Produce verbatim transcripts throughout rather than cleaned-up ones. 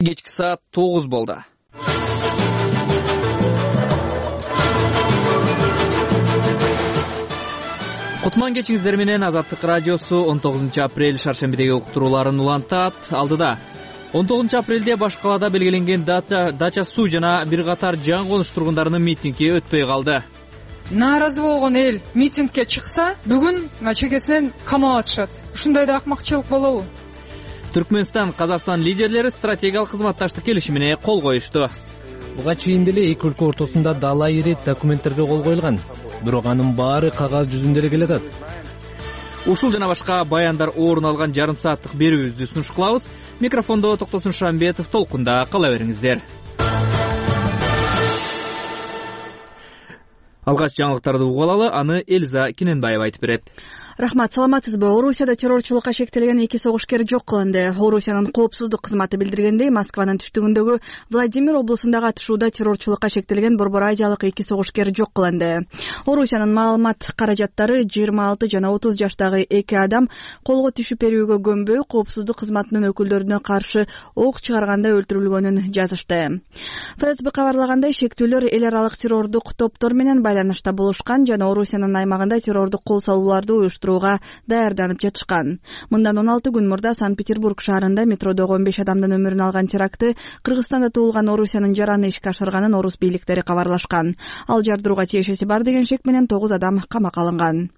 Кечки саат тогуз болду. Кутман кечиңиздер менен Азаттык радиосу он тогузунчу апрель шаршембидеги уктурууларын улантат. Алдыда он тогузунчу апрелде баш калаада белгиленген Дача суу жана бир катар жан конуш тургундарынын митинги өтпөй калды. Нааразы болгон эл митингге чыкса, бүгүн чекесинен камап атышат. Ушундай да акмакчылык болобу? Түркмөнстан, Казакстан лидерлери стратегиялык кызматташтык келишимине кол коюшту. Буга чейин деле эки өлкө ортосунда дала ири документтерге кол коюлган. Бирок анын баары кагаз жүзүндө эле келатат. Ушул жана башка баяндар орун алган жарым сааттык берүүбүздү сунуш кылабыз. Микрофондо Токтосун Шамбетов, толкунда кала бериңиздер. Алгач жаңылыктарды угуп алалы, аны Элза Киненбаева айтып берет. Рахмат, саламатсызбы? Орусияда террорчулукка шектелген эки согушкер жок кылынды. Орусиянын коопсуздук кызматы билдиргендей, Москванын түштүгүндөгү Владимир облусундагы атышууда террорчулукка шектелген Борбор Азиялык эки согушкер жок кылынды. Орусиянын маалымат каражаттары жыйырма алты жана отуз жаштагы эки адам колго түшүп берүүгө көнбөй, коопсуздук кызматынын өкүлдөрүнө каршы ок чыгарганда өлтүрүлгөнүн жазышты. ФСБ кабарлагандай, шектүүлөр эл аралык террордук топтор менен байланышта болушкан жана Орусиянын аймагында террордук кол салууларды уюштурууга даярданып жатышкан. Мындан он алты күн мурда Санкт-Петербург шаарында метродогу он беш адамдын өмүрүн алган терактты Кыргызстанда туулган Орусиянын жараны ишке ашырганын орус бийликтери кабарлашкан. Ал жардырууга тиешеси бар деген шек менен тогуз адам камакка алынган.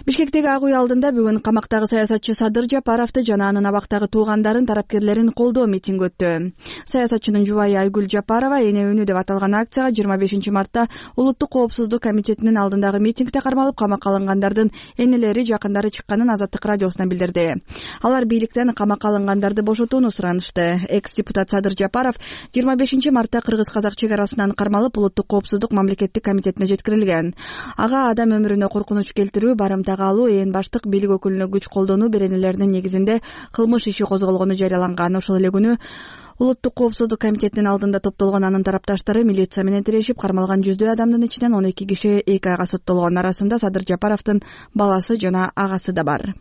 Бишкектеги Ак үй алдында бүгүн камактагы саясатчы Садыр Жапаровду жана анын абактагы туугандарын, тарапкерлерин колдоо митинги өттү. Саясатчынын жубайы Айгүл Жапарова эне үнү деп аталган акцияга жыйырма бешинчи мартта Улуттук коопсуздук комитетинин алдындагы митингде кармалып камакка алынгандардын энелери, жакындары чыкканын Азаттык радиосуна билдирди. Алар бийликтен камакка алынгандарды бошотууну суранышты. Экс-депутат Садыр Жапаров жыйырма бешинчи мартта кыргыз-казак чек арасынан кармалып Улуттук коопсуздук мамлекеттик комитетине жеткирилген. Ага адам өмүрүнө коркунуч келтирүү, барымтага алуу, ээн баштык бийлик өкүлүнө күч колдонуу беренелеринин негизинде кылмыш иши козголгону жарыяланган. Ошол эле күнү Улуттук коопсуздук комитетинин алдында топтолгон анын тарапташтары милиция менен тирешип, кармалган жүздөй адамдын ичинен он эки киши эки айга соттолгон. Арасында Садыр Жапаровдун баласы жана агасы да бар.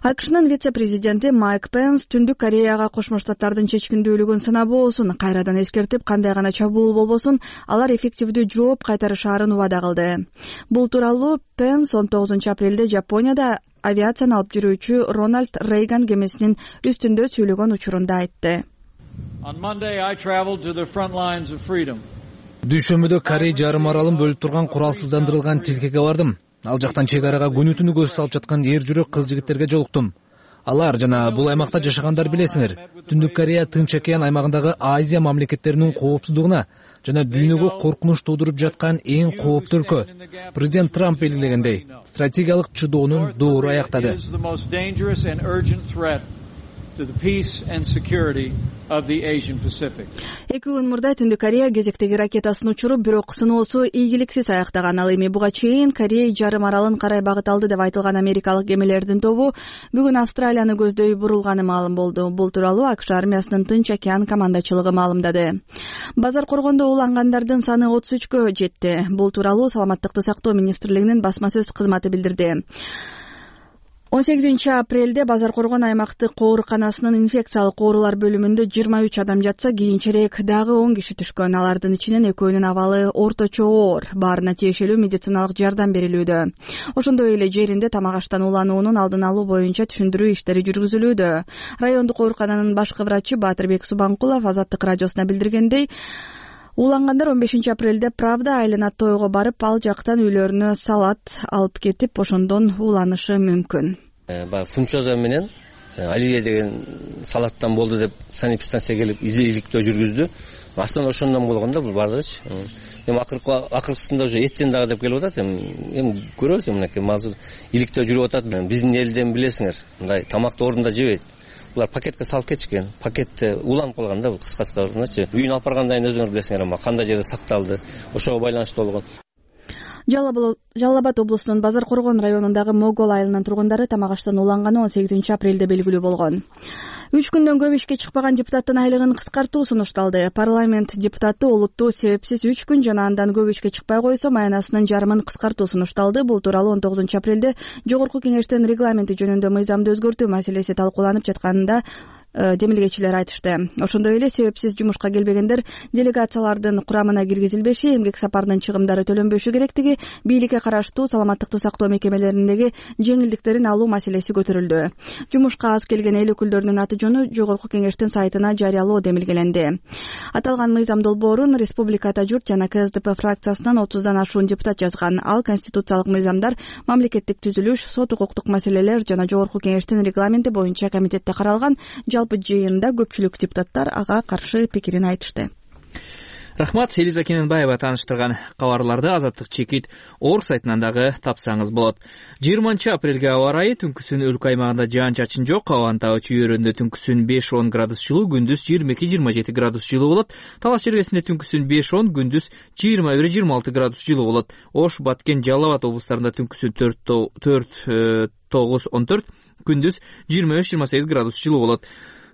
АКШнын вице-президенти Майк Пенс Түндүк Кореяга Кошмо Штаттардын чечкиндүүлүгүн сынабоосун кайрадан эскертип, кандай гана чабуул болбосун, алар эффективдүү жооп кайтарышаарын убада кылды. Бул тууралуу Пенс он тогузунчу апрелде Жапонияда авиацияны алып жүрүүчү Рональд Рейган кемесинин үстүндө сүйлөгөн учурунда айтты. Дүйшөмбүдө Корей жарым аралын бөлүп турган куралсыздандырылган тилкеге бардым. Ал жактан чек арага күнү түнү көз салып жаткан эр жүрөк кыз жигиттерге жолуктум. Алар жана бул аймакта жашагандар билесиңер, Түндүк Корея Тынч океан аймагындагы Азия мамлекеттеринин коопсуздугуна жана дүйнөгө коркунуч туудуруп жаткан эң кооптуу өлкө. Президент Трамп белгилегендей, стратегиялык чыдоонун доору аяктады. Эки күн мурда Түндүк Корея кезектеги ракетасын учуруп, бирок сыноосу ийгиликсиз аяктаган. Ал эми буга чейин Корей жарым аралын карай багыт алды деп айтылган америкалык кемелердин тобу бүгүн Австралияны көздөй бурулганы маалым болду. Бул тууралуу АКШ армиясынын Тынч океан командачылыгы маалымдады. Базар коргондо улангандардын саны отуз үчкө жетти. Бул тууралуу Саламаттыкты сактоо министрлигинин басма сөз кызматы билдирди. он сегизинчи апрелде Базар коргон аймактык ооруканасынын инфекциялык оорулар бөлүмүндө жыйырма үч адам жатса, кийинчерээк дагы он киши түшкөн. Алардын ичинен экөөнүн абалы орточо оор. Баарына тиешелүү медициналык жардам берилүүдө. Ошондой эле жеринде тамак аштан улануунун алдын алуу боюнча түшүндүрүү иштери жүргүзүлүүдө. Райондук оорукананын башкы врачы Баатырбек Субанкулов Азаттык радиосуна билдиргендей, улангандар он бешинчи апрелде Правда айылына тойго барып, ал жактан үйлөрүнө салат алып кетип, ошондон уланышы мүмкүн. Баягы фунчоза менен Алия деген салаттан болду деп санэпидстанцияга келип изиликтөө жүргүздү. Астан ошондон болгондо бул бардыгычы. Эми акыркы акыркысында уже эттен дагы деп келип атат. Эми көрөбүз мынакей азыр иликтөө жүрүп атат. Биздин элден билесиңер, мындай тамакты ордунда жебейт. Булар пакетке салып кетишкен. Пакетте уланып калган да, бул кыскасы-кыскачы. Үйүн алып баргандан кийин өзүңөр билесиңер, кандай жерде сакталды. Ошого байланыштуу болгон. Жалал Абад облусунун Базар коргон районундагы Могол айылынын тургундары тамак аштан уланганы он сегизинчи апрелде белгилүү болгон. Үч күндөн көп ишке чыкпаган депутаттын айлыгын кыскартуу сунушталды. Парламент депутаты олуттуу себепсиз үч күн жана андан көп ишке чыкпай койсо маянасынын жарымын кыскартуу сунушталды. Бул тууралуу он тогузунчу апрелде Жогорку кеңештин регламенти жөнүндө мыйзамды өзгөртүү маселеси талкууланып жатканында демилгечилер айтышты. Ошондой эле себепсиз жумушка келбегендер делегациялардын курамына киргизилбеши, эмгек сапарынын чыгымдары төлөнбөшү керектиги, бийликке караштуу саламаттыкты сактоо мекемелериндеги жеңилдиктерин алуу маселеси көтөрүлдү. Жумушка аз келген эл өкүлдөрүнүн аты жөнү Жогорку Кеңештин сайтына жарыялоо демилгеленди. Аталган мыйзам долбоорун Республика Ата журт жана К С Д П фракциясынан отуздан ашуун депутат жазган. Ал конституциялык мыйзамдар, мамлекеттик түзүлүш, сот укуктук маселелер жана Жогорку Кеңештин регламенти боюнча комитетте каралган. Жалпы жыйында көпчүлүк депутаттар ага каршы пикирин айтышты. Рахмат, Элиза Кененбаева тааныштырган кабарларды Азаттык чекит орг сайтынан дагы тапсаңыз болот. жыйырманчы апрелге аба ырайы: түнкүсүн өлкө аймагында жаан-чачын жок, абанын табы чүйөрүндө түнкүсүн беш он градус жылуу, күндүз жыйырма эки жыйырма жети градус жылуу болот. Талас жергесинде түнкүсүн беш он, күндүз жыйырма бир жыйырма алты градус жылуу болот. Ош, Баткен, Жалал Абад облустарында түнкүсүн төрт тогуз он төрт, күндүз жыйырма беш жыйырма сегиз градус жылуу болот.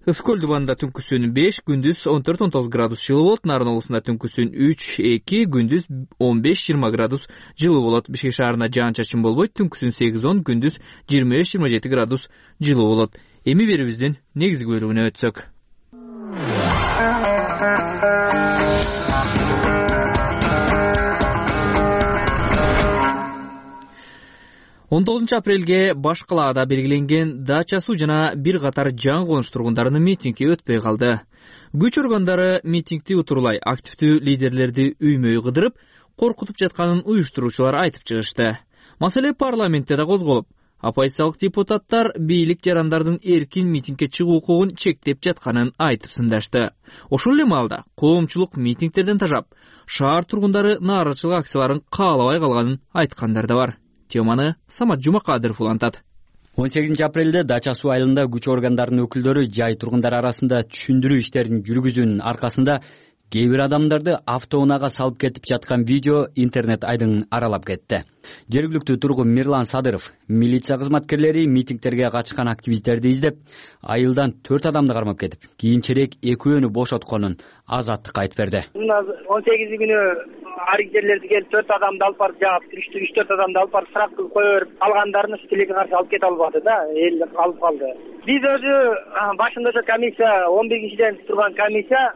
Ысык көл дубанында түнкүсүн беш, күндүз он төрт он тогуз градус жылуу болот. Нарын облусунда түнкүсүн үч эки, күндүз он беш жыйырма градус жылуу болот. Бишкек шаарында жаан-чачын болбойт, түнкүсүн сегиз он, күндүз жыйырма беш жыйырма жети градус жылуу болот. Эми берүүбүздүн негизги бөлүгүнө өтсөк. он тогузунчу апрелге баш калаада белгиленген дача суу жана бир катар жаңы конуш тургундарынын митинги өтпөй калды. Күч органдары митингди утурлай активдүү лидерлерди үймөй кыдырып, коркутуп жатканын уюштуруучулар айтып чыгышты. Маселе парламентте да козголуп, оппозициялык депутаттар бийлик жарандардын эркин митингге чыгуу укугун чектеп жатканын айтып сындашты. Ошол эле маалда коомчулук митингтерден тажап, шаар тургундары нааразычылык акцияларын каалабай калганын айткандар да бар. Теманы Самат Жумакадыров улантат. он сегизинчи апрелде Дача суу айылында күч органдарынын өкүлдөрү жай тургундар арасында түшүндүрүү иштерин жүргүзүүнүн аркасында кээ бир адамдарды автоунаага салып кетип жаткан видео интернет айдын аралап кетти. Жергиликтүү тургун Мирлан Садыров милиция кызматкерлери митингтерге катышкан активисттерди издеп, айылдан төрт адамды кармап кетип, кийинчерээк экөөнү бошотконун Азаттыкка айтып берди. он сегизи күнү арик жерлерди келип төрт адамды алып барып жаап, үч төрт адамды алып барып сырак кылып кое берип, калгандарын ушу тилекке каршы алып кете албады да, эл алып калды. Биз өзү башында ошо комиссия, он биринчиден турган комиссия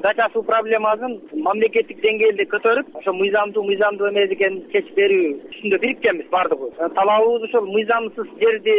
Дача суу проблемасын мамлекеттик деңгээлде көтөрүп, ошо мыйзамдуу мыйзамдуу эмес экенин чечип берүү үстүндө бириккенбиз бардыгыбыз. Талабыбыз ошол мыйзамсыз жерди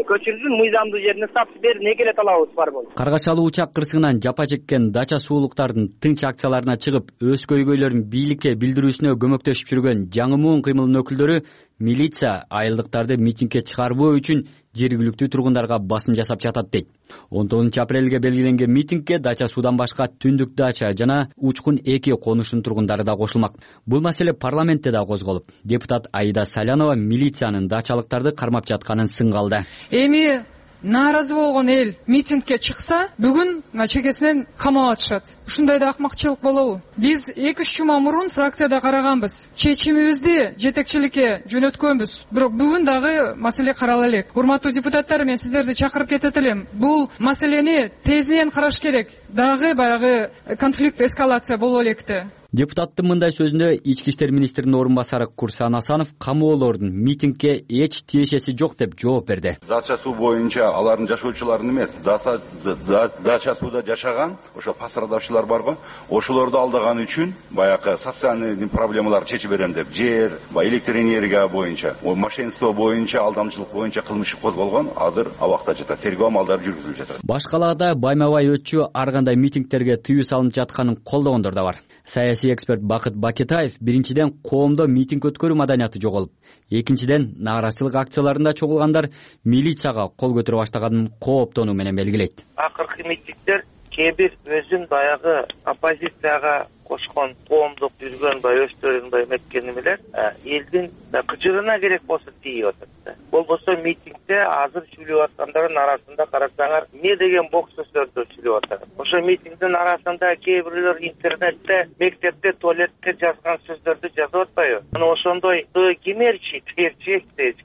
көчүрсүн, мыйзамдуу жерине статус берин, эки эле талабыбыз бар болду. Каргачалуу учак кырсыгынан жапа чеккен Дача суулуктардын тынч акцияларына чыгып, өз көйгөйлөрүн бийликке билдирүүсүнө көмөктөшүп жүргөн жаңы муун кыймылынын өкүлдөрү милиция айылдыктарды митингге чыгарбоо үчүн жергиликтүү тургундарга басым жасап жатат дейт. он тогузунчу апрелге белгиленген митингге Дача суудан башка Түндүк Дача жана Учкун эки конушунун тургундары да кошулмак. Бул маселе парламентте да козголуп, депутат Аида Салянова милициянын дачалыктарды кармап жатканын сынга алды. Эми нааразы болгон эл митингге чыкса, бүгүн чекесинен камап атышат. Ушундай да акмакчылык болобу? Биз эки үч жума мурун фракцияда караганбыз. Чечимибизди жетекчиликке жөнөткөнбүз. Бирок бүгүн дагы маселе карала элек. Урматтуу депутаттар, мен сиздерди чакырып кетет элем. Бул маселени тезден караш керек. Дагы баягы конфликт эскалация боло электи. Депутаттын мындай сөзүндө ички иштер министринин орун басары Курсан Асанов камоолордун митингге эч тиешеси жок деп жооп берди. Дача суу боюнча алардын жашоочуларын эмес, Дача сууда жашаган ошо пострадавчылар барбы, ошолорду алдаган үчүн баягы социальный проблемаларды чечип берем деп, жер, электр энергия боюнча, мошенничество боюнча, алдамчылык боюнча кылмыш козголгон, азыр абакта жатат, тергөө амалдары жүргүзүлүп жатат. Баш калаада байма-бай өтчү ар кандай митингтерге тыюу салынып жатканын колдогондор да бар. Саясий эксперт Бакыт Бакетаев биринчиден коомдо митинг өткөрүү маданияты жоголуп, экинчиден нааразычылык акцияларында чогулгандар милицияга кол көтөрө баштаганын кооптонуу менен белгилейт. Акыркы митингдер кээ бир өзүн баягы оппозицияга кошкон коомдук жүргөн баягы өстөрүн баягы эметкени менен элдин кыжырына керек болсо тийип атат. Болбосо митингде азыр сүйлөп аткандардын арасында карасаңар, эмне деген бок сөздөрдү сүйлөп атат. Ошо митингдин арасында кээ бирлер интернетте, мектепте, туалетте жазган сөздөрдү жазып атпайбы? Мына ошондой кемерчи, терчи.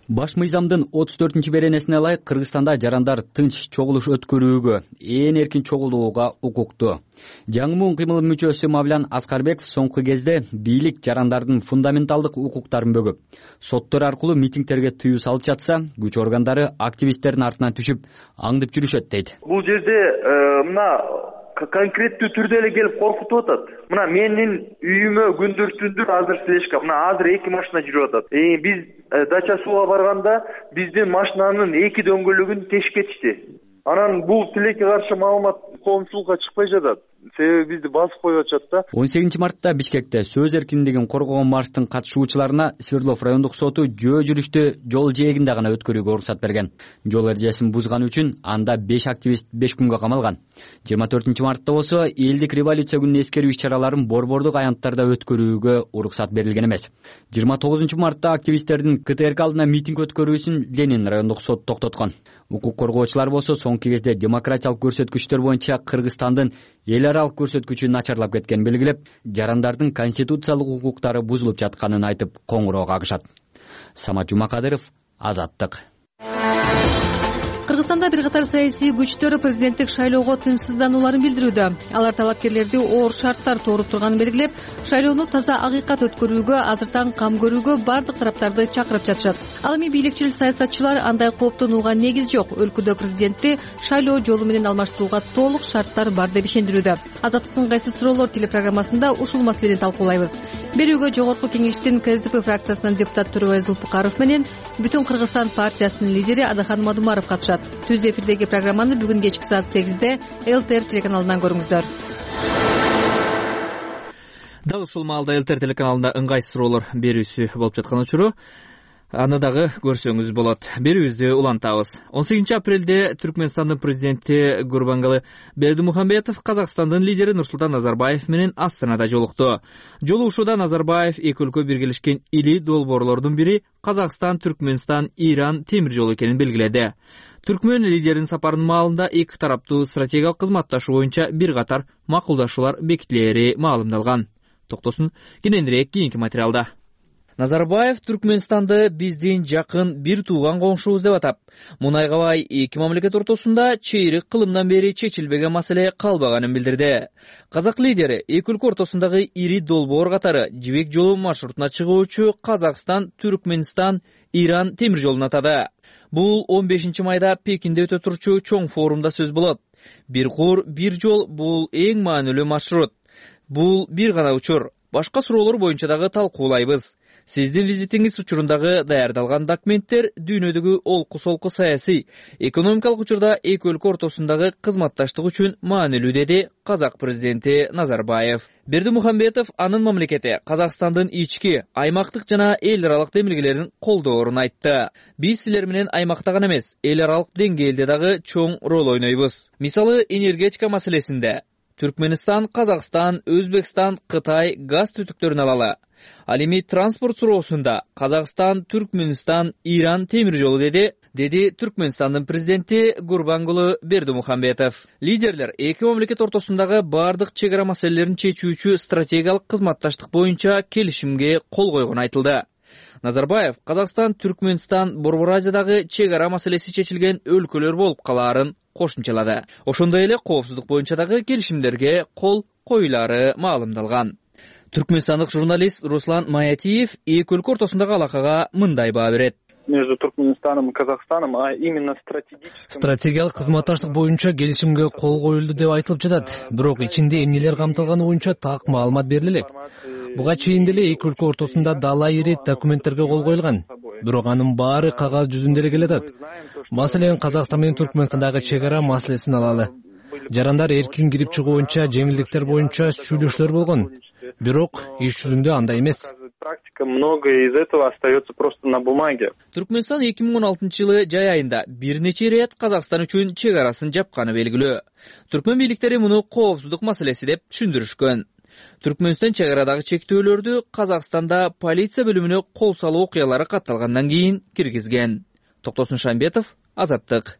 Баш мыйзамдын отуз төртүнчү беренесине ылайык Кыргызстанда жарандар тынч чогулуш өткөрүүгө, ээн эркин чогулууга укуктуу. Жаңы муун кыймылынын мүчөсү Мавлян Аскарбеков соңку кезде бийлик жарандардын фундаменталдык укуктарын бөгөп, соттор аркылуу митингтерге тыюу салып жатса, күч органдары активисттердин артынан түшүп аңдып жүрүшөт дейт. Бул жерде мына конкреттүү түрдө эле келип коркутуп атат. Мына менин үйүмө күндүр түндүр азыр слежка, мына азыр эки машина жүрүп атат. Биз дача сууга барганда биздин машинанын эки дөңгөлөгүн тешип кетишти. Анан бул тилекке каршы маалымат коомчулукка чыкпай жатат. Себеби бизди басып коюп атышат да. он сегизинчи мартта Бишкекте сөз эркиндигин коргогон марштын катышуучуларына Свердлов райондук соту жөө жүрүштү жол жээгинде гана өткөрүүгө уруксат берген. Жол эрежесин бузганы үчүн анда беш активист беш күнгө камалган. жыйырма төртүнчү мартта болсо элдик революция күнүнө эскерүү иш-чараларын борбордук аянттарда өткөрүүгө уруксат берилген эмес. жыйырма тогузунчу мартта активисттердин КТРК алдына митинг өткөрүүсүн Ленин райондук соту токтоткон. Укук коргоочулар болсо соңку кезде демократиялык көрсөткүчтөр боюнча Кыргызстандын эл аралык көрсөткүчү начарлап кеткенин белгилеп, жарандардын конституциялык укуктары бузулуп жатканын айтып коңгуроо кагышат. Самат Жумакадыров, Азаттык. Кыргызстанда бир катар саясий күчтөр президенттик шайлоого тынчсызданууларын билдирүүдө. Алар талапкерлерди оор шарттар тууруп турганын белгилеп, шайлоону таза акыйкат өткөрүүгө, азыртан кам көрүүгө бардык тараптарды чакырып жатышат. Ал эми бийликчил саясатчылар андай кооптонууга негиз жок, өлкөдө президентти шайлоо жолу менен алмаштырууга толук шарттар бар деп ишендирүүдө. Азаттыктын кайсы суроолор телепрограммасында ушул маселени талкуулайбыз. Берүүгө жогорку кеңештин КСДП фракциясынын депутат Төрөбай Зулпукаров менен Бүтүн Кыргызстан партиясынын лидери Адахан Мадумаров катышат. Түз эфирдеги программаны бүгүн кечки саат сегизде ЛТР телеканалынан көрүңүздөр. Дал ушул маалда ЛТР телеканалында ыңгайсыз суроолор берүүсү болуп жаткан учуру аны дагы көрсөңүз болот. Берүүбүздү улантабыз. он сегизинчи апрелде Түркмөнстандын президенти Гурбангулы Бердимухамедов Казакстандын лидери Нурсултан Назарбаев менен Астанада жолукту. Жолугушууда Назарбаев эки өлкө биргелешкен ири долбоорлордун бири Казакстан, Түркмөнстан, Иран темир жолу экенин белгиледи. Түркмөн лидеринин сапарынын маалында эки тараптуу стратегиялык кызматташуу боюнча бир катар макулдашуулар бекитилери маалымдалган. Токтосун кененирээк кийинки материалда. Назарбаев Түркмөнстанды биздин жакын бир тууган коңшубуз деп атап, Мунайгабай эки мамлекет ортосунда чейрек кылымдан бери чечилбеген маселе калбаганын билдирди. Казак лидери эки өлкө ортосундагы ири долбоор катары Жибек жолу маршрутуна чыгуучу Казакстан, Түркмөнстан, Иран темир жолун атады. Бул он бешинчи майда Пекинде өтө турчу чоң форумда сөз болот. Бир кур, бир жол бул эң маанилүү маршрут. Бул бир гана учур. Башка суроолор боюнча дагы талкуулайбыз. Сиздин визитиңиз учурунда даярдалган документтер дүйнөдөгү олку-солку саясий, экономикалык учурда эки өлкө ортосундагы кызматташтык үчүн маанилүү, деди Казак президенти Назарбаев. Бердимухамедов анын мамлекети Казакстандын ички, аймактык жана эл аралык демилгелерин колдоорун айтты. Биз силер менен аймакта гана эмес, эл аралык деңгээлде дагы чоң роль ойнойбуз. Мисалы, энергетика маселесинде Түркмөнстан, Казакстан, Өзбекстан, Кытай газ түтүктөрүн алалы. Ал эми транспорт суроосунда Казакстан, Түркмөнстан, Иран темир жолу, деди деди Түркмөнстандын президенти Гурбангулы Бердимухамедов. Лидерлер эки мамлекет ортосундагы бардык чек ара маселелерин чечүүчү стратегиялык кызматташтык боюнча келишимге кол койгону айтылды. Назарбаев Казакстан, Түркмөнстан, Борбор Азиядагы чек ара маселеси чечилген өлкөлөр болуп калаарын кошумчалады. Ошондой эле коопсуздук боюнча дагы келишимдерге кол коюлары маалымдалган. Түркмөнстандык журналист Руслан Маятиев эки өлкө ортосундагы алакага мындай баа берет. Между Туркменистаном и Казахстаном, а именно стратегическим... Стратегиялык кызматташтык боюнча келишимге кол коюлду деп айтылып жатат. Бирок ичинде эмнелер камтылганы боюнча так маалымат бериле элек. Буга чейин деле эки өлкө ортосунда дала ирет документтерге кол коюлган. Бирок анын баары кагаз жүзүндө эле келатат. Маселен, Казакстан менен Түркмөнстандагы чек ара маселесин алалы. Жарандар эркин кирип чыгуу боюнча, жеңилдиктер боюнча сүйлөшүүлөр болгон. Бирок иш жүзүндө андай эмес. Практика многое из этого остается просто на бумаге. Түркмөнстан эки миң он алтынчы жылы жай айында бир нече ирет Казакстан үчүн чек арасын жапканы белгилүү. Түркмөн бийликтери муну коопсуздук маселеси деп түшүндүрүшкөн. Түркмөнстан чек арадагы чектөөлөрдү Казакстанда полиция бөлүмүнө кол салуу окуялары катталгандан кийин киргизген. Токтосун Шамбетов, Азаттык.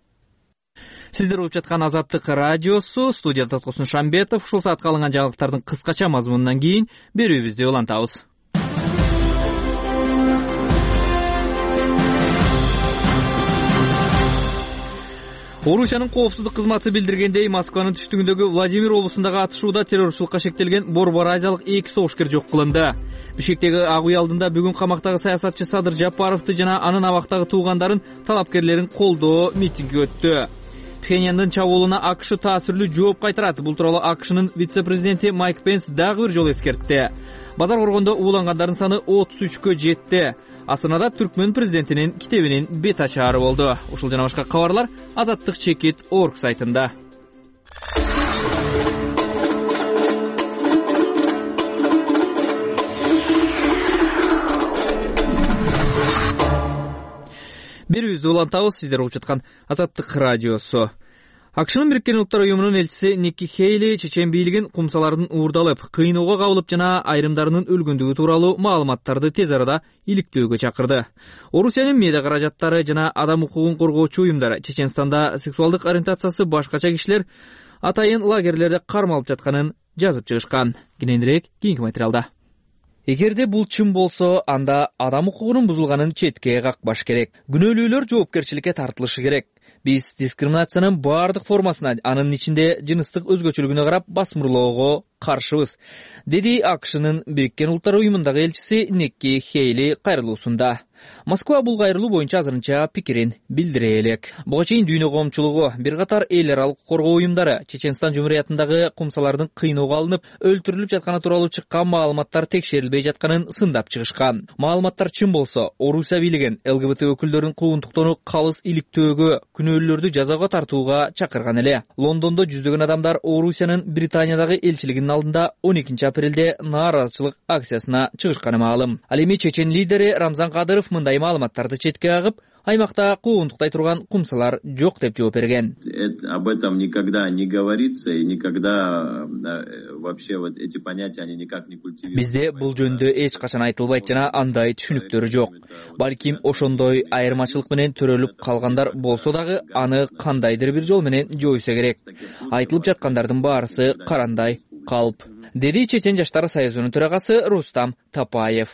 Сиздер угуп жаткан Азаттык радиосу, студияда Токтосун Шамбетов. Ушул саатка алынган жаңылыктардын кыскача мазмунунан кийин берүүбүздү улантабыз. Орусиянын коопсуздук кызматы билдиргендей, Москванын түштүгүндөгү Владимир облусундагы атышууда террорчулукка шектелген Борбор Азиялык эки согушкер жок кылынды. Бишкектеги Ак үй алдында бүгүн камактагы саясатчы Садыр Жапаровду жана анын абактагы туугандарын, талапкерлерин колдоо митинги өттү. Пхеньяндын чабуулуна АКШ таасирлүү жооп кайтарат. Бул тууралуу АКШнын вице-президенти Майк Пенс дагы бир жолу эскертти. Базар коргондо уулангандардын саны отуз үчкө жетти. Астанада Түркмөн президентинин китебинин бет ачаары болду. Ушул жана башка кабарлар азаттык чекит точка орг сайтында. Берүүбүздү улантабыз, сиздер угуп жаткан Азаттык радиосу. АКШнын Бириккен Улуттар уюмунун элчиси Никки Хейли чечен бийлигин кумсалардын уурдалып, кыйноого кабылып жана айрымдарынын өлгөндүгү тууралуу маалыматтарды тез арада иликтөөгө чакырды. Орусиянын медиа каражаттары жана адам укугун коргоочу уюмдар Чеченстанда сексуалдык ориентациясы башкача кишилер атайын лагерлерде кармалып жатканын жазып чыгышкан. Кененирээк кийинки материалда. Эгерде бул чын болсо, анда адам укугунун бузулганын четке какпаш керек. Күнөөлүүлөр жоопкерчиликке тартылышы керек. Биз дискриминациянын баардык формасына, анын ичинде жыныстык өзгөчөлүгүнө карап басмырлоого каршыбыз, деди АКШнын Бириккен Улуттар уюмундагы элчиси Никки Хейли кайрылуусунда. Москва бул кайрылуу боюнча азырынча пикирин билдире элек. Буга чейин дүйнө коомчулугу, бир катар эл аралык коргоо уюмдары Чеченстан Жумуриятындагы кумсалардын кыйноого алынып, өлтүрүлүп жатканы тууралуу чыккан маалыматтар текшерилбей жатканын сындап чыгышкан. Маалыматтар чын болсо, Орусия бийлигин ЛГБТ өкүлдөрүнүн куугунтуктоону калыс иликтөөгө, күнөөлүүлөрдү жазага тартууга чакырган эле. Лондондо жүздөгөн адамдар Орусиянын Британиядагы элчилигинин алдында он экинчи апрелде нааразычылык акциясына чыгышканы маалым. Ал эми чечен лидери Рамзан Кадыров мындай маалыматтарды четке кагып, аймакта куугунтуктай турган кумсалар жок деп жооп берген. Об этом никогда не говорится и никогда вообще вот эти понятия они никак не культивируются. Бизде бул жөнүндө эч качан айтылбайт жана андай түшүнүктөр жок. Балким ошондой айырмачылык менен төрөлүп калгандар болсо дагы аны кандайдыр бир жол менен жойсо керек. Айтылып жаткандардын баарысы карандай калп, деди Чечен жаштар союзунун төрагасы Рустам Тапаев.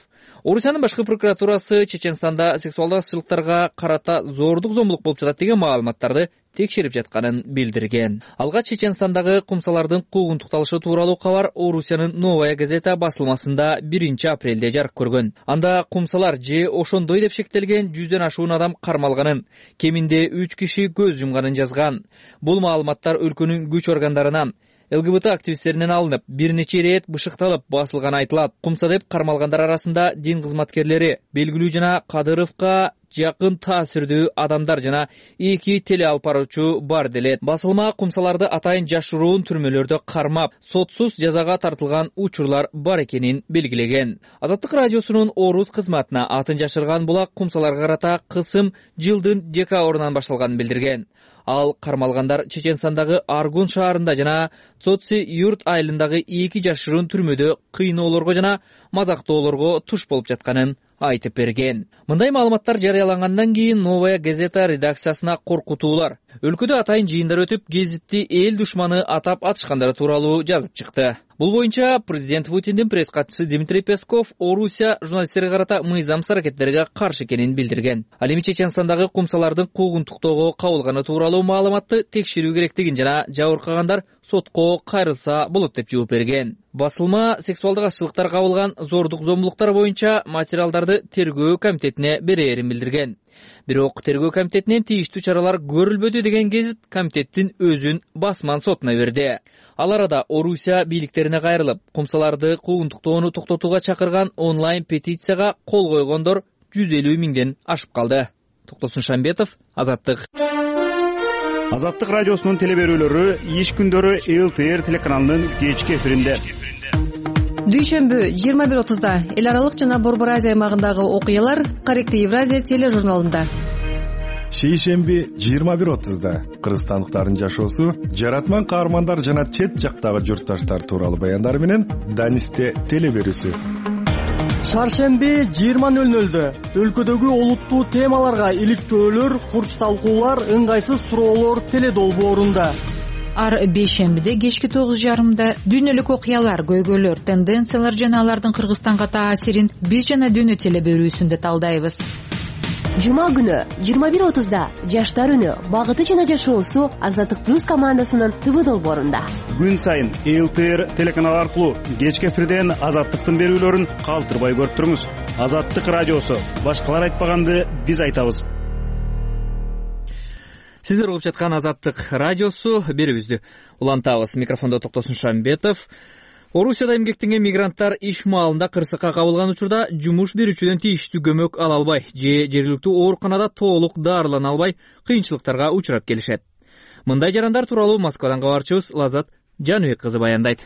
Орусиянын башкы прокуратурасы Чеченстанда сексуалдык азчылыктарга карата зордук зомбулук болуп жатат деген маалыматтарды текшерип жатканын билдирген. Алгач Чеченстандагы кумсалардын куугунтукталышы тууралуу кабар Орусиянын Новая газета басылмасында биринчи апрелде жарык көргөн. Анда кумсалар же ошондой деп шектелген жүздөн ашуун адам кармалганын, кеминде үч киши көз жумганын жазган. Бул маалыматтар өлкөнүн күч органдарынан, ЛГБТ активисттеринен алынып, бир нече ирет бышыкталып басылганы айтылат. Кумса деп кармалгандар арасында дин кызматкерлери, белгилүү жана Кадыровго жакын таасирдүү адамдар жана эки теле алып баруучу бар делет. Басылма кумсаларды атайын жашыруун түрмөлөрдө кармап, сотсуз жазага тартылган учурлар бар экенин белгилеген. Азаттык радиосунун Орус кызматына атын жашырган булак кумсаларга карата кысым жылдын декабрынан башталганын билдирген. Ал кармалгандар Чеченстандагы Аргун шаарында жана Цоци юрт айылындагы эки жашыруун түрмөдө кыйноолорго жана мазактоолорго туш болуп жатканын айтып берген. Мындай маалыматтар жарыялангандан кийин Новая газета редакциясына коркутуулар, өлкөдө атайын жыйындар өтүп, гезитти эл душманы атап атышкандары тууралуу жазып чыкты. Бул боюнча президент Путиндин пресс катчысы Дмитрий Песков Орусия журналисттерге карата мыйзамсыз аракеттерге каршы экенин билдирген. Ал эми Чеченстандагы кумсалардын куугунтуктоого кабылганы тууралуу маалыматты текшерүү керектигин жана жабыркагандар сотко кайрылса болот деп жооп берген. Басылма сексуалдык азчылыктар кабылган зордук зомбулуктар боюнча материалдарды тергөө комитетине берээрин билдирген. Бирок тергөө комитетинен тийиштүү чаралар көрүлбөдү деген гезит комитеттин өзүн басман сотуна берди. Ал арада Орусия бийликтерине кайрылып, кумсаларды куугунтуктоону токтотууга чакырган онлайн петицияга кол койгондор жүз элүү миңден ашып калды. Токтосун Шамбетов, Азаттык. Азаттык радиосунун телеберүүлөрү иш күндөрү эл тэ эр телеканалынын кечки эфиринде. Дүйшөмбү жыйырма бир отузда эл аралык жана Борбор Азия аймагындагы окуялар Корректный Евразия тележурналында. Шейшемби жыйырма бир отузда кыргызстандыктардын жашоосу, жаратман каармандар жана чет жактагы журтташтар тууралуу баяндар менен Данисте телеберүүсү. Шаршемби жыйырма нөл нөлдө өлкөдөгү олуттуу темаларга иликтөөлөр, курч талкуулар, ыңгайсыз суроолор теледолбоорунда. Ар бейшембиде кечки тогуз жарымда дүйнөлүк окуялар, көйгөйлөр, тенденциялар жана алардын Кыргызстанга таасирин биз жана дүйнө телеберүүсүндө талдайбыз. Жума күнү жыйырма бир отузда Жаштар үнү багыты жана жашоосу Азаттык плюс командасынын ТВ долбоорунда. Күн сайын эл тэ эр телеканалы аркылуу кечки эфирден Азаттыктын берүүлөрүн калтырбай көрүп туруңуз. Азаттык радиосу. Башкалар айтпаганды биз айтабыз. Сиздер угуп жаткан Азаттык радиосу берүүбүздү улантабыз. Микрофондо Токтосун Шамбетов. Орусияда эмгектенген мигранттар иш маалында кырсыкка кабылган учурда жумуш берүүчүдөн тийиштүү көмөк ала албай же жергиликтүү ооруканада толук дарылана албай кыйынчылыктарга учурап келишет. Мындай жарандар тууралуу Москвадан кабарчыбыз Лазат Жаныбек кызы баяндайт.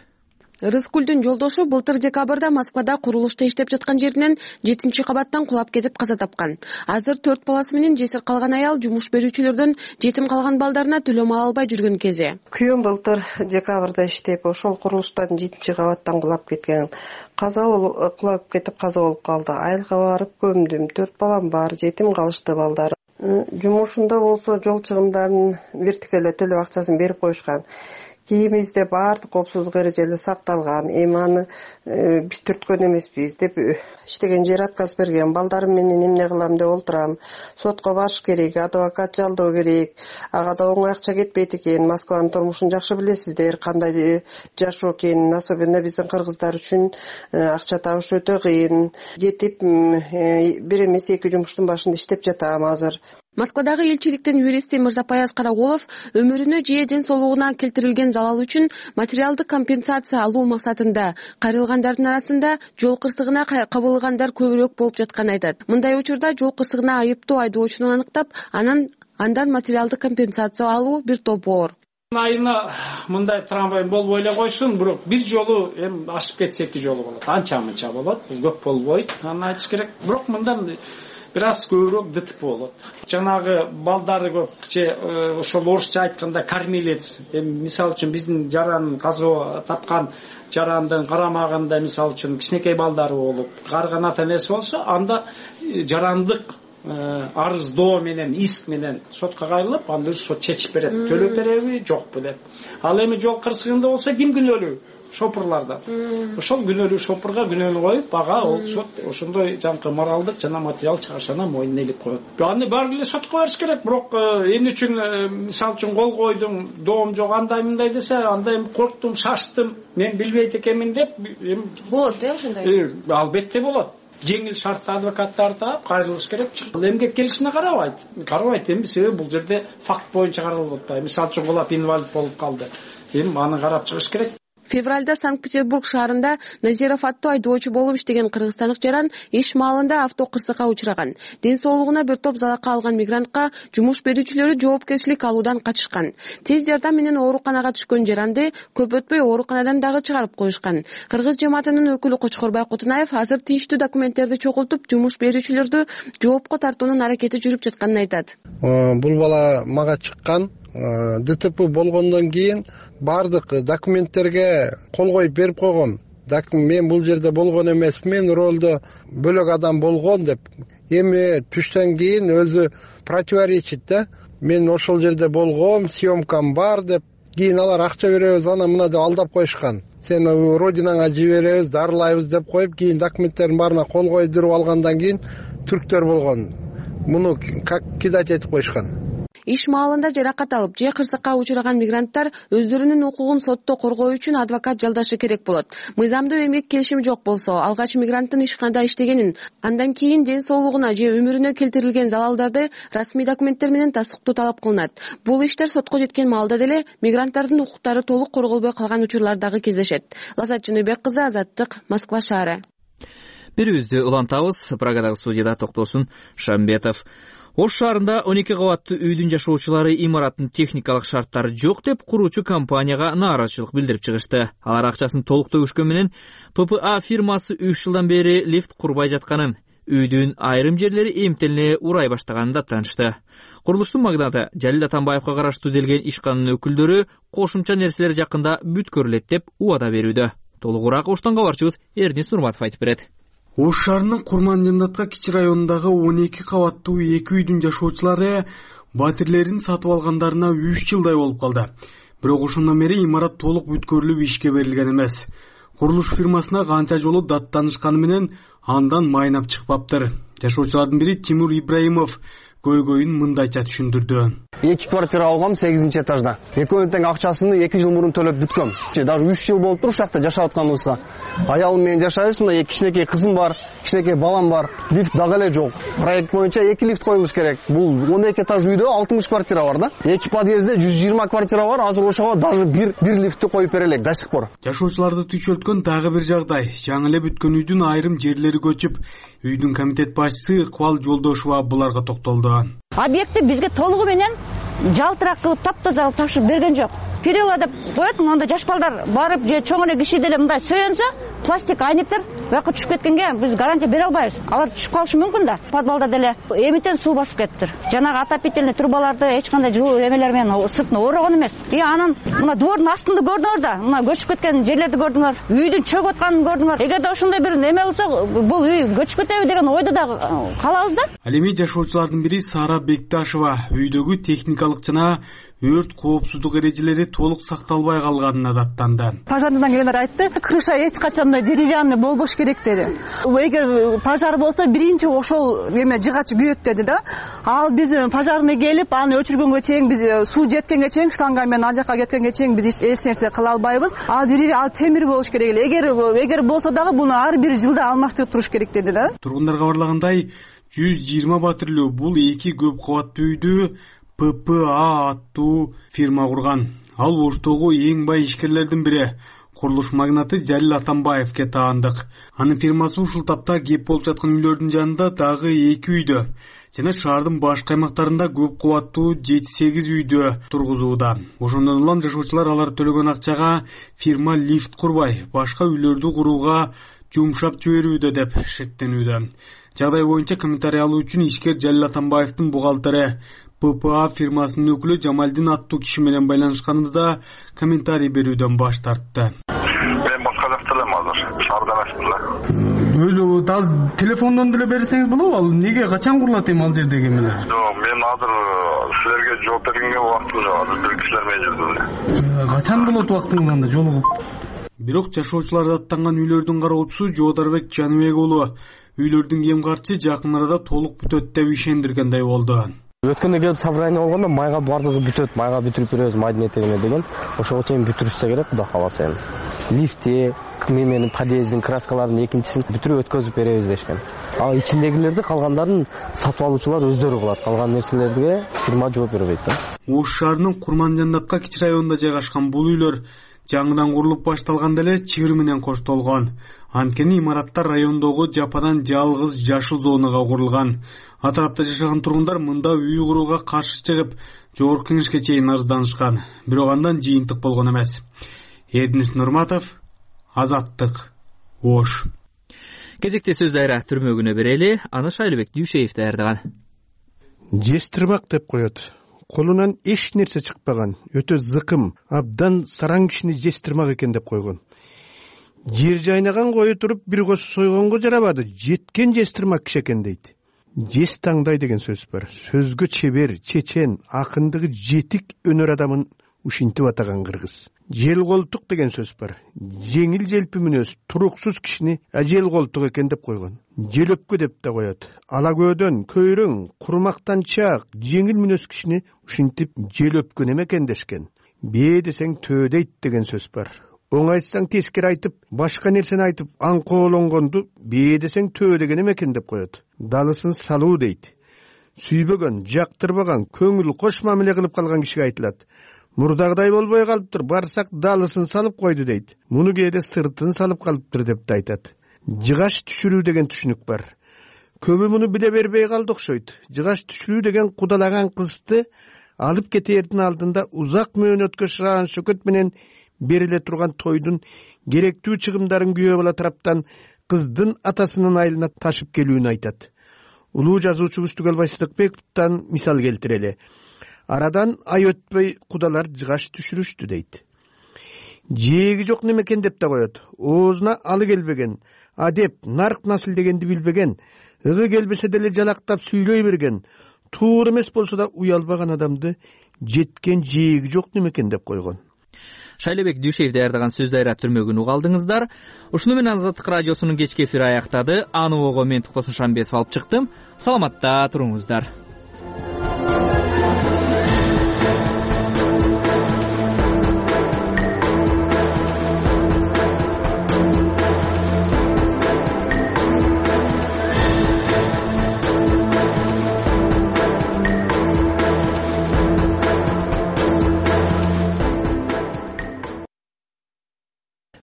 Рыскүлдүн жолдошу былтыр декабрда Москвада курулушта иштеп жаткан жеринен жетинчи кабаттан кулап кетип каза тапкан. Азыр төрт баласы менен жесир калган аял жумуш берүүчүлөрдөн жетим калган балдарына төлөм ала албай жүргөн кези. Күйөөм былтыр декабрда иштеп, ошол курулуштан жетинчи кабаттан кулап кеткен. Каза болуп кулап кетип каза болуп калды. Айылга барып көмдүм. төрт балам бар, жетим калышты балдар. Жумушунда болсо жол чыгымдарын вертикале төлөп акчасын берип коюшкан. Кийимибизде баардык коопсуздук эрежелери сакталган. Эми аны биз түрткөн эмеспиз деп иштеген жер отказ берген. Балдарым менен эмне кылам деп олтурам. Сотко барыш керек, адвокат жалдоо керек. Ага да оңой акча кетпейт экен. Москванын турмушун жакшы билесиздер, кандай жашоо экенин, особенно биздин кыргыздар үчүн акча табыш өтө кыйын. Кетип бир эмес эки жумуштун башында иштеп жатам азыр. Москвадагы элчиликтин юристи Мырзапаяз Караголов өмүрүнө же ден соолугуна келтирилген залал үчүн материалдык компенсация алуу максатында кайрылгандардын арасында жол кырсыгына кабылгандар көбүрөөк болуп жатканын айтат. Мындай учурда жол кырсыгына айыптуу айдоочуну аныктап, анан андан материалдык компенсация алуу бир топ оор. Айына мындай трамвай болбой эле койсун, бирок бир жолу эми ашып кетсе эки жолу болот. Анча-мынча болот, көп болбойт. Аны айтыш керек. Бирок мындан бир аз көбүрөөк ДТП болот. Жанагы балдары көп же ошол орусча айтканда кормилец. Эми мисалы үчүн биздин жаран каза тапкан жарандын карамагында мисалы үчүн кичинекей балдары болуп, карыган ата энеси болсо, анда жарандык арыздоо менен, иск менен сотко кайрылып, анда сот чечип берет. Төлөп береби, жокпу деп. Ал эми жол кырсыгында болсо ким күнөөлүү? Шопурларда. Ошол күнөөлүү шопурга күнөөнү коюп, ага ол сот ошондой жанкы моралдык жана материал чыгышына мойнуна илип коет. Аны баары эле сотко барыш керек, бирок эмне үчүн мисалы үчүн кол койдум, доом жок, андай мындай десе, анда эми корктум, шаштым, мен билбейт экенмин деп эми болот э ошондой. Албетте болот. Жеңил шартта адвокаттарды таап кайрылыш керек. Эмгек келишине карабайт. Карабайт эми, себеби бул жерде факт боюнча каралып атпайбы. Мисалы үчүн кулап инвалид болуп калды. Эми аны карап чыгыш керек. Февралда Санкт-Петербург шаарында Назиров аттуу айдоочу болуп иштеген кыргызстандык жаран иш маалында авто кырсыкка учураган. Ден соолугуна бир топ залака алган мигрантка жумуш берүүчүлөрү жоопкерчилик алуудан качышкан. Тез жардам менен ооруканага түшкөн жаранды көп өтпөй ооруканадан дагы чыгарып коюшкан. Кыргыз жамаатынын өкүлү Кочкорбай Кутунаев азыр тийиштүү документтерди чогултуп, жумуш берүүчүлөрдү жоопко тартуунун аракети жүрүп жатканын айтат. Бул бала мага чыккан, ДТП болгондон кийин бардык документтерге кол коюп берип койгом. Мен бул жерде болгон эмесмин, ролдо бөлөк адам болгон деп. Эми түштөн кийин өзү противоречит да. Мен ошол жерде болгом, съемкам бар деп. Кийин алар акча беребиз, ана мына деп алдап коюшкан. Сен родинаңа жиберебиз, дарылайбыз деп коюп, кийин документтердин баарына кол койдуруп алгандан кийин түрктөр болгон. Муну как кидать этип коюшкан. Иш маалында жаракат алып же кырсыкка учураган мигранттар өздөрүнүн укугун сотто коргоо үчүн адвокат жалдашы керек болот. Мыйзамдуу эмгек келишими жок болсо, алгач мигранттын ишканада иштегенин, андан кийин ден соолугуна же өмүрүнө келтирилген залалдарды расмий документтер менен тастыктоо талап кылынат. Бул иштер сотко жеткен маалда деле мигранттардын укуктары толук корголбой калган учурлар дагы кездешет. Лазат Жаныбек кызы, Азаттык, Москва шаары. Берүүбүздү улантабыз. Прагадагы студияда Токтосун Шамбетов. Ош шаарында он эки кабаттуу үйдүн жашоочулары имараттын техникалык шарттары жок деп куруучу компанияга нааразычылык билдирип чыгышты. Алар акчасын толук төгүшкөн менен П П А фирмасы үч жылдан бери лифт курбай жатканын, үйдүн айрым жерлери эмтелине урай баштаганын да таанышты. Курулуштун магнаты Жалил Атамбаевга караштуу делген ишканын өкүлдөрү кошумча нерселер жакында бүткөрүлөт деп убада берүүдө. Толугураак Оштон кабарчыбыз Эрнис Нурматов айтып берет. Ош шаарынын Курман-Жандатка кичи районундагы он эки кабаттуу эки үйдүн жашоочулары батирлерин сатып алгандарына үч жылдай болуп калды. Бирок ошондон бери имарат толук бүткөрүлүп ишке берилген эмес. курулуш фирмасына канча жолу даттанышканы менен андан майнап чыкпаптыр. Жашоочулардын бири Тимур Ибраимов көйгөйүн мындайча түшүндүрдү. эки квартира алгам сегизинчи этажда. Экөөнүн тең акчасын эки жыл мурун төлөп бүткөм. Даже үч жыл болуптур ушул жакта жашап атканыбызга. Аялым менен жашайбыз. Мына кичинекей кызым бар, кичинекей балам бар. Лифт дагы эле жок. Проект боюнча эки лифт коюлуш керек. Бул он эки этаж үйдө алтымыш квартира бар да. Эки подъездде жүз жыйырма квартира бар. Азыр ошого даже бир бир лифтти коюп бере элек до сих пор. Жашоочуларды түйшөлткөн дагы бир жагдай. Жаңы эле бүткөн үйдүн айрым жерлери көчүп, үйдүн комитет башчысы Ыкбал Жолдошова буларга токтолду. Объектти бизге толугу менен жалтырак кылып таптаза кылып тапшырып берген жок. Перила деп коет, монда жаш балдар барып же чоң эле киши деле мындай сөйөнсө, пластик айнектер бияка түшүп кеткенге биз гарантия бере албайбыз. Алар түшүп калышы мүмкүн да. Подвалда деле эмитен суу басып кетиптир. Жанагы отопительный трубаларды эч кандай жылуу эмелер менен сыртына орогон эмес. И анан мына двордун астында көрдүңөр да, мына көчүп кеткен жерлерди көрдүңөр, үйдүн чөгүп атканын көрдүңөр. Эгерде ошондой бир неме болсо, бул үй көчүп кетеби деген ойдо да калабыз да. Ал эми жашоочулардын бири Сара Бекташева үйдөгү техникалык жана өрт коопсуздук эрежелери толук сакталбай калганына даттанды. Пожардан келгендер айтты, крыша эч качандай деревянный болбош керек деди. Эгер пожар болсо биринчи ошол эме жыгач күйөт деди да. Ал биз пожарный келип, аны өчүргөнгө чейин биз суу жеткенге чейин, шланга менен ал жака кеткенге чейин биз эч нерсе кыла албайбыз. Ал деревья, ал темир болуш керек эле. Эгер эгер болсо дагы буну ар бир жылда алмаштырып туруш керек деди да. Тургундар кабарлагандай, жүз жыйырма батирлүү бул эки көп кабаттуу үйдү П П А аттуу фирма курган. Ал Оштогу эң бай ишкерлердин бири, курулуш магнаты Жалил Атамбаевке таандык. Анын фирмасы ушул тапта кеп болуп жаткан үйлөрдүн жанында дагы эки үйдө жана шаардын башка аймактарында көп кабаттуу жети сегиз үйдө тургузууда. Ошондон улам жашоочулар алар төлөгөн акчага фирма лифт курбай, башка үйлөрдү курууга жумшап жиберүүдө деп шектенүүдө. Жагдай боюнча комментарий алуу үчүн ишкер Жалил Атамбаевдин бухгалтери П П А фирмасынын өкүлү Жамалдин аттуу киши менен байланышканыбызда комментарий берүүдөн баш тартты. Мен башка жакта элем азыр, шаарда эмесмин да. Өзү азыр телефондон деле берсеңиз болобу? Ал неге качан курулат эми ал жердеги эмелер? Жок, мен азыр силерге жооп бергенге убактым жок, азыр бир кишилер менен жүрдүм эле. Качан болот убактыңыз анда жолугуп? Бирок жашоочулар даттанган үйлөрдүн кароочусу Жоодарбек Жаныбек уулу үйлөрдүн кем карчы жакын арада толук бүтөт деп ишендиргендей болду. Өткөндө келип собрание болгондо майга бардыгы бүтөт, майга бүтүрүп беребиз, майдын этегине деген. Ошого чейин бүтүрүшсө керек, Кудай кааласа эми. Лифти, менин подъездин краскаларынын экинчисин бүтүрүп өткөзүп беребиз дешкен. Ал ичиндегилерди калгандарын сатып алуучулар өздөрү кылат. Калган нерселерге фирма жооп бербейт да. Ош шаарынын Курманжандатка кичи районунда жайгашкан бул үйлөр жаңыдан курулуп башталганда эле чыгыр менен коштолгон. Анткени имараттар райондогу жападан жалгыз жашыл зонага курулган. Атарапта жашаган тургундар мында үй курууга каршы чыгып, жогорку кеңешке чейин арызданышкан. Бирок андан жыйынтык болгон эмес. Эрдинис Нурматов, Азаттык, Ош. Кезекте сөз дайра түрмөгүнө берели, аны Шайлыбек Дүйшеев даярдаган. Жестирмак деп коет. Колунан эч нерсе чыкпаган, өтө зыкым, абдан сараң кишини жестирмак экен деп койгон. Жер жайнаган кою туруп бир көз сойгонго жарабады, жеткен жестирмак киши экен дейт. Жес таңдай деген сөз бар. Сөзгө чебер, чечен, акындыгы жетик өнөр адамын ушинтип атаган кыргыз. Жел колтук деген сөз бар. Жеңил желпи мүнөз, туруксуз кишини ажел колтук экен деп койгон. Желөпкө деп да коет. Ала көдөн, көйрөң, курмактанчак, жеңил мүнөз кишини ушинтип желөпкө неме экен дешкен. Бээ десең төө дейт деген сөз бар. Оң айтсаң тескери айтып, башка нерсени айтып, аңкоолонгонду бээ десең төө деген экен деп коет. Далысын салуу дейт. Сүйбөгөн, жактырбаган, көңүл кош мамиле кылып калган кишиге айтылат. Мурдагыдай болбой калыптыр, барсак далысын салып койду дейт. Муну кээде сыртын салып калыптыр деп да айтат. Жыгаш түшүрүү деген түшүнүк бар. Көбү муну биле бербей калды окшойт. Жыгаш түшүрүү деген кудалаган кызды алып кетээрдин алдында узак мөөнөткө шыган сөкөт менен бериле турган тойдун керектүү чыгымдарын күйөө бала тараптан кыздын атасынын айылына ташып келүүнү айтат. Улуу жазуучубуз Түгөлбай Сыдыкбековдон мисал келтирели. Арадан ай өтпөй кудалар жыгаш түшүрүштү дейт. Жээги жок немекен деп да коет. Оозуна алы келбеген, адеп, нарк насыл дегенди билбеген, ыгы келбесе деле жалактап сүйлөй берген, туура эмес болсо да уялбаган адамды жеткен жээги жок немекен деп койгон. Шайлебек Дүйшеев даярдаган сөз дайра түрмөгүн уга алдыңыздар. Ушуну менен Азаттык радиосунун кечки эфири аяктады. Аны ого мен Токтосун Шамбетов алып чыктым. Саламатта туруңуздар.